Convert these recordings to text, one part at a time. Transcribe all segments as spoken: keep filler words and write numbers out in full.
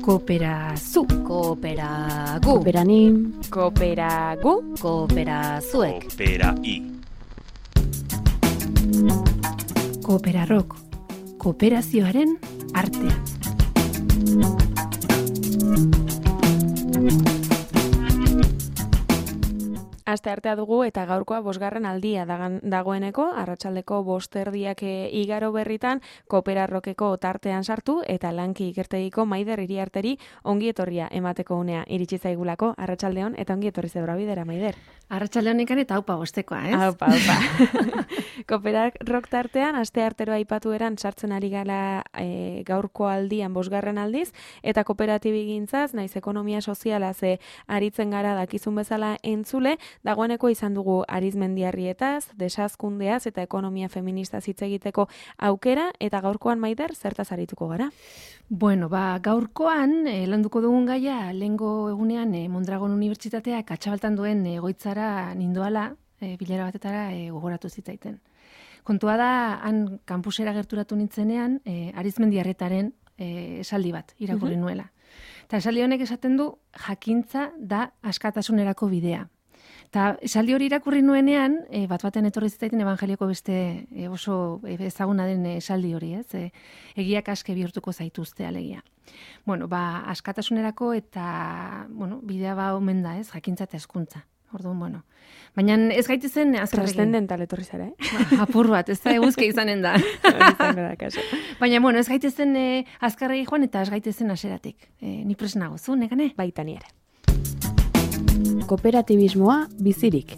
Kooperazu. Kooperagu. Kooperanim. Kooperagu. Kooperazuek. Kooperai. Kooperarrok. Kooperazioaren artea. Aste artea dugu eta gaurkoa bosgarren aldia dagan, dagoeneko, arratsaldeko bosterdiak e, igaro berritan, Kooperarrokeko tartean sartu eta lanki ikertegiko Maider Iriarteri ongi etorria emateko unea iritsi zaigulako arratsaldeon eta ongi etorri zebra bidera, Maider. Arratsaldeon ikan eta aupa bostekoa, ez? Aupa, aupa. Kooperarrok tartean, aste artero aipatu eran sartzen ari gala e, gaurko aldian bosgarren aldiz, eta kooperatibigintzaz, naiz ekonomia sozialaz e, aritzen gara dakizun bezala entzule, dagoeneko izan dugu Arizmendiarrietaz, desazkundeaz eta ekonomia feministaz hitz egiteko aukera, eta gaurkoan, Maider, zertaz arituko gara? Bueno, ba, gaurkoan, eh, landuko dugun gaia, lehengo egunean eh, Mondragon Unibertsitateak atxabaltan duen egoitzara nindoala, eh, bilera batetara eh, gogoratu zitzaiten. Kontua da, han kampusera gerturatu nintzenean, eh, Arizmendiarretaren eh, esaldi bat irakurri uh-huh. nuela. Eta esaldi honek esaten du, jakintza da askatasunerako bidea. Eta esaldi hori irakurri nuenean, e, bat batean etorri zitzaiten evangelioko beste e, oso ezaguna den esaldi hori, ez? E, egiak aske bihurtuko zaituzte alegia. Bueno, ba, askatasunerako eta, bueno, bidea ba omen da, ez? Jakintza eta hezkuntza. Orduan, bueno. Baina ez gaitezen azkarregin. Transcendental etorri zara, eh? Ba, apur bat, ez da eguzke izanen da. Baina, bueno, ez gaitezen e, azkarregi joan eta ez gaitezen aseratik. E, ni presnago zu, negane? Baita ni ere. Kooperatibismoa bizirik.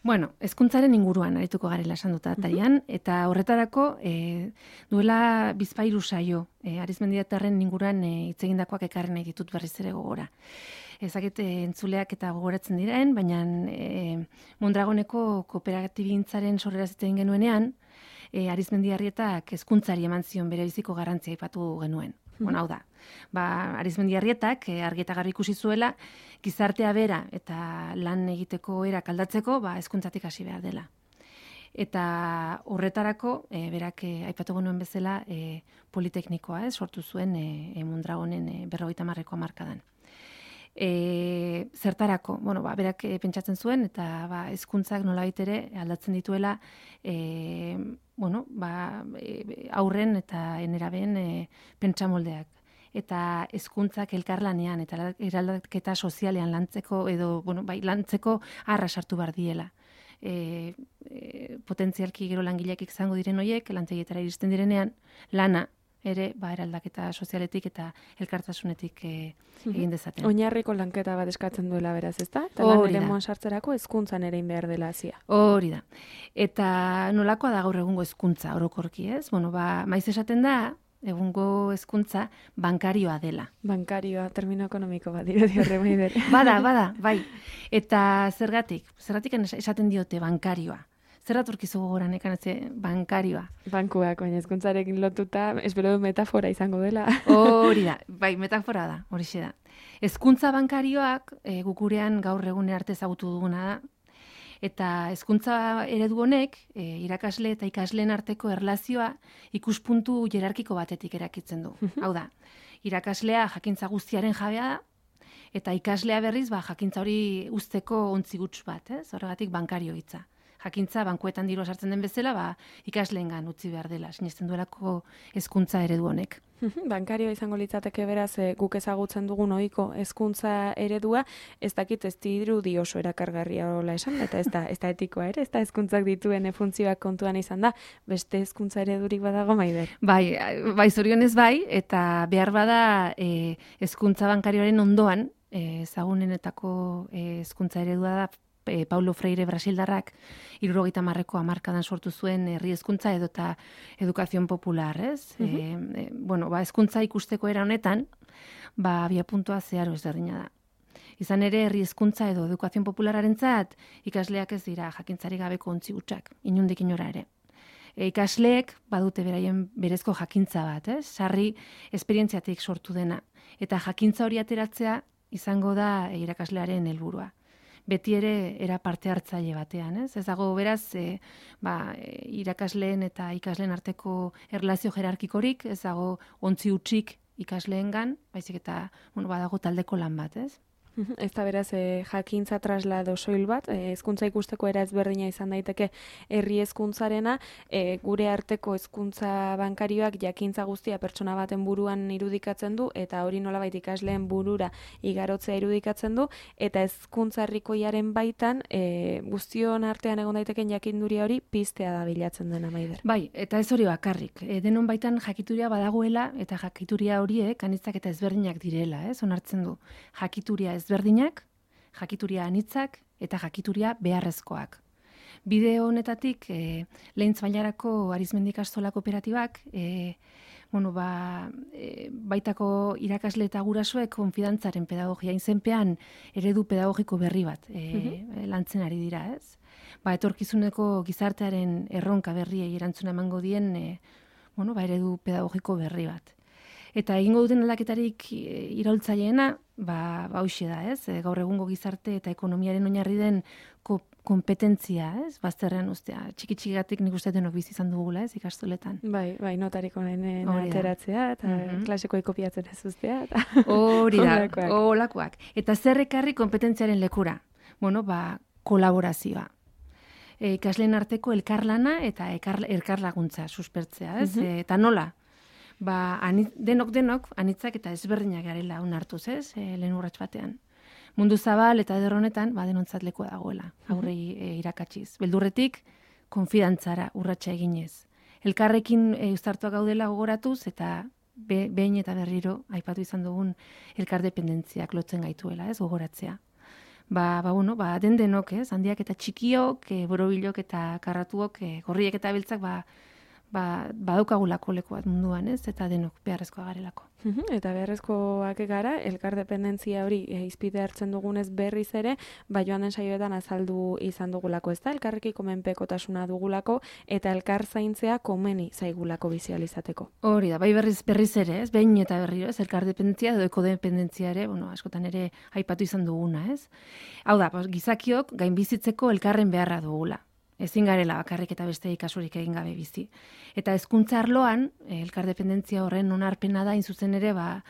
Bueno, hezkuntzaren inguruan arituko garela esan dut atarian, eta horretarako e, duela bizpahiru saio, e, Arizmendiarren inguruan hitz egindakoak ekarri nahi ditut berriz ere gogora. Ezakit entzuleak eta gogoratzen diren, baina e, Mondragoneko kooperatibigintzaren sorrera zitzen genuenean, e, Arizmendiarrietak hezkuntzari eman zion bere biziko garrantzia aipatu genuen. Bueno, hau da, ba, Arizmendiarrietak eh, argi eta garbi ikusi zuela, gizartea bera eta lan egiteko erak aldatzeko, ba, hezkuntzatik hasi behar dela. Eta horretarako, eh, berak eh, aipatu genuen bezala, eh, politeknikoa, eh, sortu zuen eh, eh, Mondragonen eh, berrogeita hamarreko hamarkadan. E, zertarako, bueno, ba, berak e, pentsatzen zuen, eta ba, hezkuntzak nolabait ere aldatzen dituela e, bueno, ba, e, aurren eta enerabeen e, pentsamoldeak. Eta hezkuntzak elkarlanean eta eraldaketa sozialean lantzeko edo, bueno, bai, lantzeko arra sartu bar diela. E, e, potentzialki gero langileak izango diren hoiek, lantegietara iristen direnean, lana ere, ba, eraldaketa sozialetik eta elkartasunetik e, egin dezaten. Oinarriko lanketa bat eskatzen duela beraz, ezta? Eta lan ere moan sartzerako hezkuntzan ere behar dela hazia. Hori da. Eta nolakoa da gaur egungo hezkuntza orokorki, ez? Bueno, ba, maiz esaten da, egungo hezkuntza bankarioa dela. Bankarioa, termino ekonomiko bat dirudi horre Maider. Bada, bada, bai. Eta zergatik, zergatik esaten diote bankarioa. Zerraturkizu gogoran ekan ez bankarioa. Bankuak, baina hezkuntzarekin lotuta, espero du metafora izango dela. Hori da, bai, metafora da, horixe da. Hezkuntza bankarioak e, gukurean gaur egun arte ezagutu duguna da, eta hezkuntza eredu honek e, irakasle eta ikasleen arteko erlazioa ikuspuntu jerarkiko batetik erakitzen du. Hau da, irakaslea jakintza guztiaren jabea da, eta ikaslea berriz ba, jakintza hori uzteko ontzi guts bat, ez? Horregatik bankario hitza. Jakintza bankuetan dirua sartzen den bezala, ba, ikasleengan utzi behar dela, sinesten duelako hezkuntza eredu honek. Bankarioa izango litzateke beraz e, guk ezagutzen dugun ohiko hezkuntza eredua, ez dakit ez dirudi oso erakargarria hola esan, eta ez da, ez da etikoa ere, ez da hezkuntzak dituen funtzioak kontuan izan da, beste hezkuntza eredurik badago Maider. Bai, bai zorionez bai, eta behar bada e, hezkuntza bankarioaren ondoan, e, ezagunenetako hezkuntza eredua da, E, Paulo Freire Brasildarrak hirurogeita hamarreko hamarkadan sortu zuen herri hezkuntza edo eta edukazion popular, ez? Uh-huh. e, e, bueno, ba, hezkuntza ikusteko era honetan, ba, abiapuntua zeharo ezberdina da. Izan ere, herri hezkuntza edo edukazion populararentzat ikasleak ez dira jakintzari gabeko ontzi hutsak, inundik inora ere. E, ikasleek badute beraien berezko jakintza bat, ez? Sarri esperientziatik sortu dena. Eta jakintza hori ateratzea izango da irakaslearen helburua. beti ere era parte hartzaile batean, ez? Ez dago beraz, e, ba, e, irakasleen eta ikasleen arteko erlazio jerarkikorik, ez dago ontzi hutsik ikasleengan, baizik eta, bueno, badago taldeko lan bat, ez? Ez da beraz, e, jakintza traslado soil bat, e, hezkuntza ikusteko era ezberdina izan daiteke herri hezkuntzarena, e, gure arteko hezkuntza bankarioak jakintza guztia pertsona baten buruan irudikatzen du, eta hori nolabait ikasleen burura igarotzea irudikatzen du, eta hezkuntza herrikoiaren baitan, e, guztion artean egon daiteken jakinduria hori piztea da bilatzen dena, Maider. Bai, eta ez hori bakarrik. E, denon baitan jakituria badagoela, eta jakituria horiek anitzak eta ezberdinak direla, ez? Onartzen du. Jakituria ezberdinak, jakituria anitzak eta jakituria beharrezkoak. Bideo honetatik, e, lehentz bailarako Arizmendi ikastola kooperatibak, e, bueno, ba, e, baitako irakasle eta gurasoek konfidantzaren pedagogia izenpean eredu pedagogiko berri bat e, mm-hmm. lantzen ari dira, ez? Ba, etorkizuneko gizartearen erronka berriei erantzuna emango dien e, bueno, ba, eredu pedagogiko berri bat. Eta egingo duten aldaketarik iraultzaileena, ba, ba hoxe da, ez? E, gaur egungo gizarte eta ekonomiaren oinarri den ko, kompetentzia, ez? Bazterrean ustea. Txiki-txigatik nik uste denok bizi izan dugula, ez? Ikastoletan. Bai, bai, notarik honen ateratzea, eta mm-hmm. klasikoa kopiatzen ez ustea. Eta... Hori da, olakoak. Eta zer ekarri kompetentziaren lekura? Bueno, ba, kolaborazioa. E, ikasleen arteko elkarlana eta elkar, elkarlaguntza suspertzea, ez? Mm-hmm. E, eta nola? Ba, anit, denok denok anitzak eta ezberdinak garela onartuz, ez? E, lehen urrats batean. Mundu zabal eta eder honetan, ba, denontzat lekua dagoela, aurrei e, irakatsiz. Beldurretik, konfidantzara urratsa eginez. Elkarrekin e, uztartuak gaudela gogoratuz eta be, behin eta berriro aipatu izan dugun elkardependentziak lotzen gaituela, ez? Gogoratzea. Ba, ba, bueno, ba, den denok, ez? Handiak eta txikiok, e, borobilok eta karratuok, e, gorriek eta beltzak, ba, ba, badaukagulako leku bat munduan, ez? Eta denok beharrezkoa garelako. Eta beharrezkoak gara, elkardependentzia hori e, izpide hartzen dugunez berriz ere, ba joan den saioetan azaldu izan dugulako, ez da? Elkarrekiko menpekotasuna dugulako, eta elkar zaintzea komeni zaigulako bizializateko. Hori da, bai berriz, berriz ere, ez? Behin eta berriro, ez? Elkardependentzia edo ekodependentzia ere, bueno, askotan ere aipatu izan duguna, ez? Hau da, gizakiok gainbizitzeko elkarren beharra dugula. Ezin garela bakarrik eta beste ikasurik egin gabe bizi. Eta hezkuntza arloan, elkardependentzia horren onarpena da, zuzen ere, ba,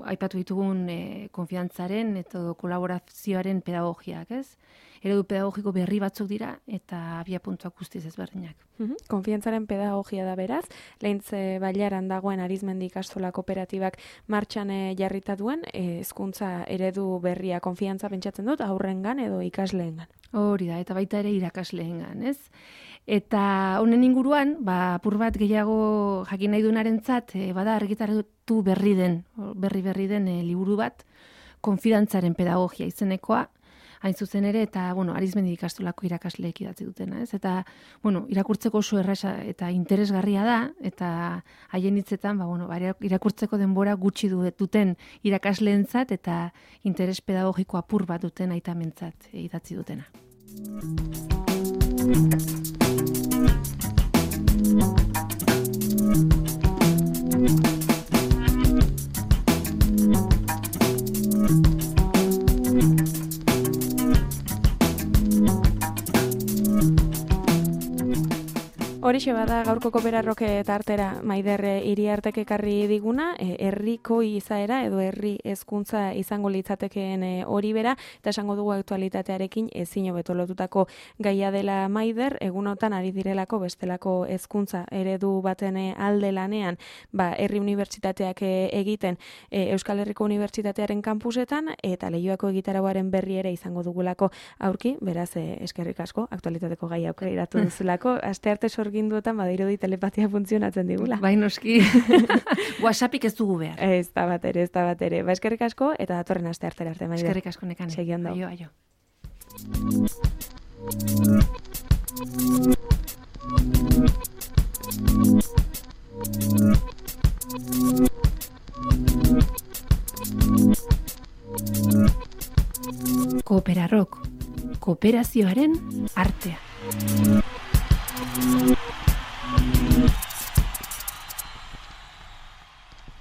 aipatu ditugun e, konfiantzaren eta kolaborazioaren pedagogiak, ez? Eredu pedagogiko berri batzuk dira eta abiapuntuak guztiz ezberdinak. Mm-hmm. Konfiantzaren pedagogia da beraz, lehintze bailaran dagoen Arizmendi ikastola kooperatibak martxan e, jarrita duen, hezkuntza e, eredu berria konfiantza pentsatzen dut aurrengan edo ikasleengan. Hori da, eta baita ere irakasleengan, ez? Eta honen inguruan, ba, apur bat gehiago jakin nahi duenarentzat, e, bada argitaratu berri den, berri berri den e, liburu bat, konfidantzaren pedagogia izenekoa, hain zuzen ere, eta, bueno, Arizmendi ikastolako irakasleek idatzi dutena, ez? Eta, bueno, irakurtzeko oso erraza eta interesgarria da, eta haien hitzetan, ba, bueno, irakurtzeko denbora gutxi duten irakasleentzat eta interes pedagogiko apur bat duten aitamentzat idatzi dutena. Horixe bada gaurko Kooperarroke tartera Maider Iriartek ekarri diguna, herriko izaera edo herri hezkuntza izango litzatekeen hori bera, eta esango dugu aktualitatearekin ezin hobeto lotutako gaia dela Maider, egunotan ari direlako bestelako hezkuntza eredu baten alde lanean, ba, herri unibertsitateak egiten Euskal Herriko Unibertsitatearen kampusetan, eta Leioako egitarauaren berri ere izango dugulako aurki, beraz eskerrik asko, aktualitateko gaia aukeratu duzulako, astearte sorgin duetan badirudi telepatia funtzionatzen digula. Bai, noski. WhatsAppik ez dugu behar. Ez da bat ere, ez da bat ere. Ba, eskerrik asko, eta datorren aste artera arte, Maider. Eskerrik asko nekane. Segi ondo. Aio, aio. Kooperarrok, kooperazioaren artea.